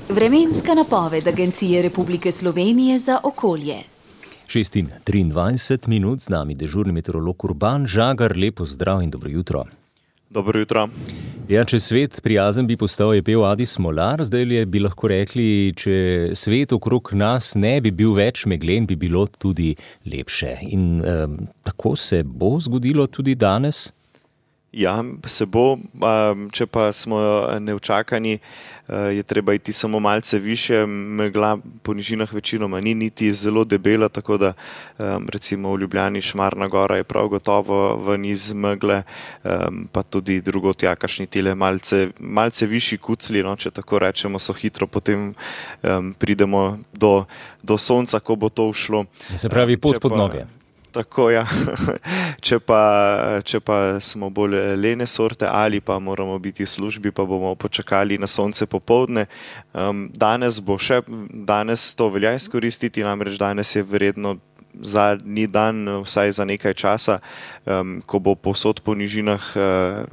Vremenska napoved Agencije Republike Slovenije za okolje. 6:23 minut, z nami dežurni meteorolog Urban Žagar. Lepo zdrav in dobro jutro. Dobro jutro. Ja, če svet prijazen bi postal, je pel Adi Smolar. Zdaj bi lahko rekli, če svet okrog nas ne bi bil več meglen, bi bilo tudi lepše. In tako se bo zgodilo tudi danes? Ja, se bo. Če pa smo neučakani, je treba iti samo malce više. Megla po nižinah večinoma ni niti zelo debela, tako da recimo v Ljubljani Šmarna gora je prav gotovo ven iz megle, pa tudi drugot jakašni tile malce višji kucli, no, če tako rečemo, so hitro potem pridemo do sonca, ko bo to ušlo. Se pravi pot pod noge. Tako, ja. Če pa smo bolj lene sorte ali pa moramo biti v službi, pa bomo počakali na sonce popoldne. Danes to velja izkoristiti, namreč danes je verjetno zadnji dan, vsaj za nekaj časa, ko bo povsod po nižinah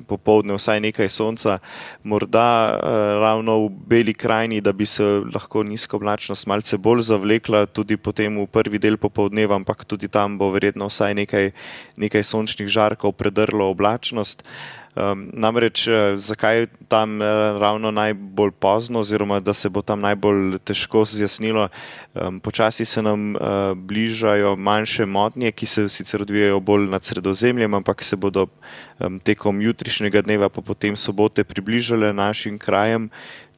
popoldne vsaj nekaj sonca. Morda ravno v Beli krajini, da bi se lahko nizka oblačnost malce bolj zavlekla tudi potem v prvi del popoldneva, ampak tudi tam bo verjetno vsaj nekaj sončnih žarkov predrlo oblačnost. Namreč zakaj tam ravno najbolj pozno oziroma da se bo tam najbolj težko zjasnilo? Počasi se nam bližajo manjše motnje, ki se sicer odvijajo bolj nad Sredozemljem, ampak se bodo tekom jutrišnjega dneva pa potem sobote približale našim krajem.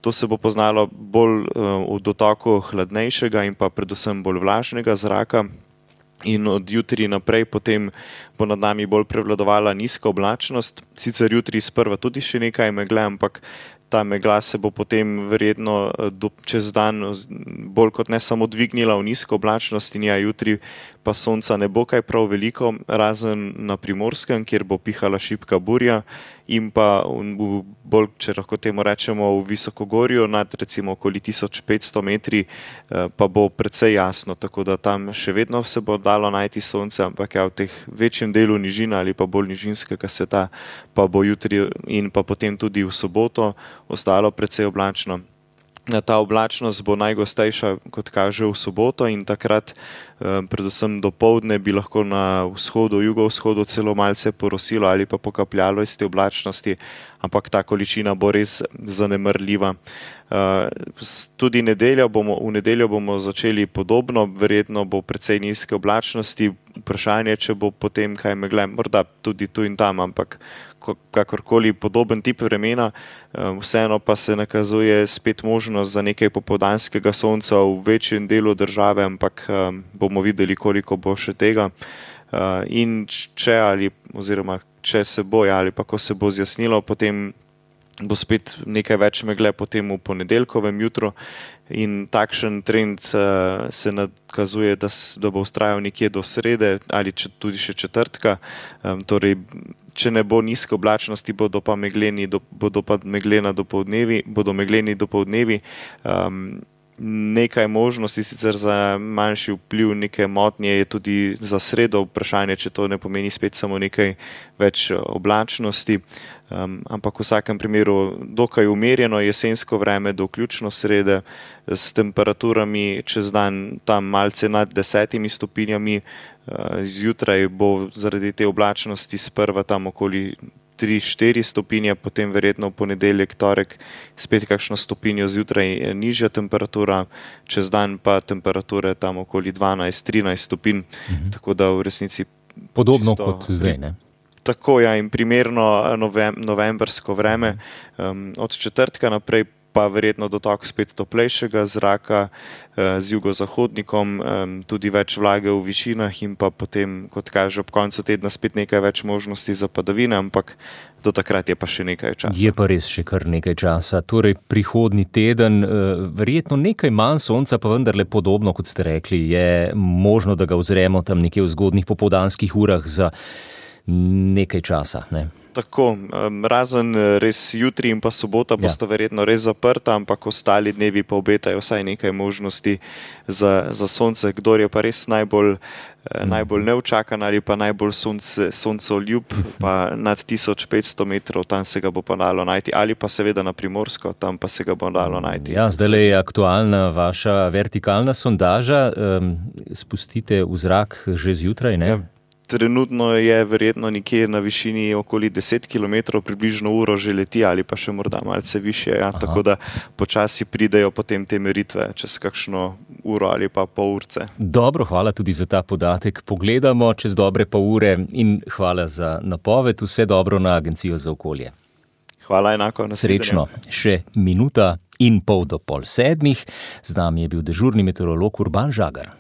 To se bo poznalo bolj v dotoku hladnejšega in pa predvsem bolj vlažnega zraka. In od jutri naprej potem bo nad nami bolj prevladovala nizka oblačnost. Sicer jutri sprva tudi še nekaj megle, ampak ta megla se bo potem verjetno čez dan bolj kot ne samo dvignila v nizko oblačnost in ja, jutri pa sonca ne bo kaj prav veliko, razen na Primorskem, kjer bo pihala šibka burja, in pa bolj, če lahko temu rečemo, v Visokogorju nad recimo okoli 1500 metri pa bo precej jasno, tako da tam še vedno se bo dalo najti sonce, ampak ja, v teh večjem delu nižina ali pa bolj nižinskega sveta pa bo jutri in pa potem tudi v soboto ostalo precej oblačno. Ta oblačnost bo najgostejša, kot kaže, v soboto in takrat predvsem dopoldne bi lahko na vzhodu, jugovzhodu celo malce porosilo ali pa pokapljalo iz te oblačnosti, ampak ta količina bo res zanemrljiva. Tudi v nedeljo bomo začeli podobno, verjetno bo precej nizke oblačnosti, vprašanje, če bo potem kaj megle, morda tudi tu in tam, ampak kakorkoli podoben tip vremena, vseeno pa se nakazuje spet možnost za nekaj popoldanskega sonca v večjem delu države, ampak bomo videli, koliko bo še tega. In če se bo ali pa ko se bo zjasnilo, potem bo spet nekaj več megle potem v ponedeljkovem jutru in takšen trend se nakazuje, da bo vztrajal nekje do srede ali tudi še četrtka. Torej, če ne bo nizke oblačnosti, bodo megleni dopoldnevi. Nekaj možnosti sicer za manjši vpliv, neke motnje je tudi za sredo, vprašanje, če to ne pomeni spet samo nekaj več oblačnosti, ampak v vsakem primeru dokaj umirjeno jesensko vreme do vključno srede, s temperaturami čez dan tam malce nad 10 stopinjami, zjutraj bo zaradi te oblačnosti sprva tam okoli 3-4 stopinje, potem verjetno v ponedeljek, torek spet kakšno stopinjo zjutraj nižja temperatura, čez dan pa temperature tam okoli 12-13 stopinj, tako da v resnici podobno kot zdaj, ne? Tako, ja, in primerno novembrsko vreme. Od četrtka naprej pa verjetno dotok spet toplejšega zraka z jugozahodnikom, tudi več vlage v višinah in pa potem, kot kaže, ob koncu tedna spet nekaj več možnosti za padavine, ampak do takrat je pa še nekaj časa. Je pa res še kar nekaj časa. Torej, prihodnji teden, verjetno nekaj manj sonca, pa vendarle podobno, kot ste rekli, je možno, da ga uzremo tam nekje v zgodnjih popoldanskih urah za nekaj časa, ne? Tako, razen res jutri in pa sobota bosta verjetno res zaprta, ampak ostali dnevi pa obetajo vsaj nekaj možnosti za sonce. Kdor je pa res najbolj najbolj neučakan ali pa najbolj soncoljub, pa nad 1500 metrov, tam se ga bo pa dalo najti, ali pa seveda na Primorsko, tam pa se ga bo dalo najti. Ja, zdaj je aktualna vaša vertikalna sondaža, spustite v zrak že zjutraj, ne? Ja. Trenutno je verjetno nekje na višini okoli 10 km, približno uro že leti ali pa še morda malce više. Ja. Tako da počasi pridejo potem te meritve čez kakšno uro ali pa pol urce. Dobro, hvala tudi za ta podatek. Pogledamo čez dobre pol ure in hvala za napoved. Vse dobro na Agencijo za okolje. Hvala enako. Srečno. Še 1,5 minuta do 6:30. Z nami je bil dežurni meteorolog Urban Žagar.